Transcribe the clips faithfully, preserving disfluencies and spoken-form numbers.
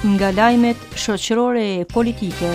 Nga lajmet shoqërore e politike.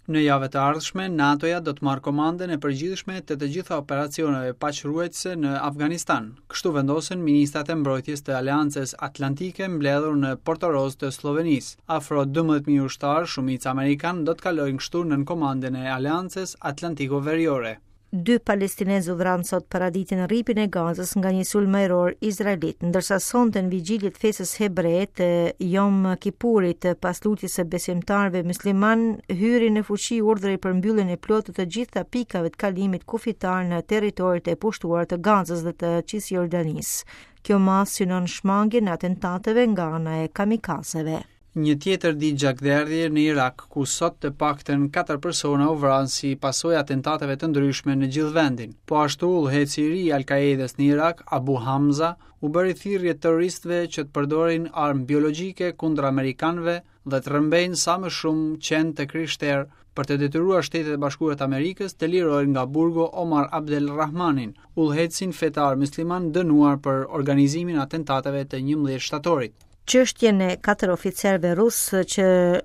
Në javët e ardhshme, NATO-ja do të marrë komandën e përgjithshme të të gjitha operacioneve paqëruajtëse në Afganistan. Kështu vendosën ministrat e mbrojtjes të Aleancës Atlantike mbledhur në Portoroz të Sllovenisë. Afro dymbëdhjetë mijë ushtarë, shumica amerikan, do të kalojnë kështu nën komandën e Aleancës Atlantiko-Veriore. Dy palestinezë u vranë sot paradite në rripin e Gazës nga një sulm ajror izraelit, ndërsa sonte në vigjilje të festës hebre të Yom Kippurit pas lutjes së besimtarëve musliman hyri në fuqi urdhri për mbylljen e plotë të të gjitha pikave të kalimit kufitar në territoret e pushtuara të Gazës dhe të Cisjordanisë. Kjo masë synon shmangien e atentateve nga ana e kamikazeve. Një tjetër ditë gjakderdhje në Irak, ku sot të paktën katër persona u vranë si pasojë atentateve të ndryshme në gjithë vendin. Po ashtu, udhëheqësi i ri i Al-Qaedës në Irak, Abu Hamza, u bëri thirrje terroristëve që të përdorin armë biologjike kundër amerikanëve dhe të rrëmbejnë sa më shumë qen të krishterë për të detyruar Shtetet e Bashkuara të Amerikës të lirojnë nga burgu Omar Abdel Rahmanin, udhëheqësin fetar musliman dënuar për organizimin e atentateve të njëmbëdhjetë shtatorit. Çështjen e katër oficerëve rusë që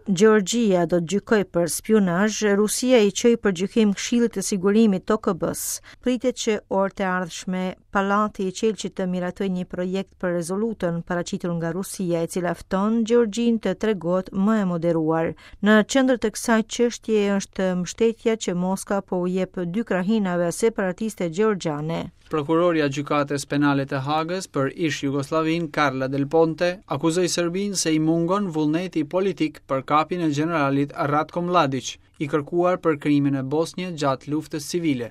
Gjeorgjia do të gjykojë për spionazh, Rusia i çoi për gjykim Këshillit të Sigurimit të O K B-s. Pritet që orët e ardhshme Pallati i Qelqit të miratojë një projekt për rezolutën paraqitur nga Rusia, e cila fton Gjeorgjinë të tregohet më e moderuar. Në qendër të kësaj çështjeje është mbështetja që Moska po u jep dy krahinave separatiste gjeorgjiane. Prokuroria e Gjykatës Penale të Hagës për ish Jugosllavin Carla Del Ponte akuzoi Serbinë se i mungon vullneti politik për kapjen e generalit Ratko Mladic, i kërkuar për krimin e Bosnjë gjatë luftës civile.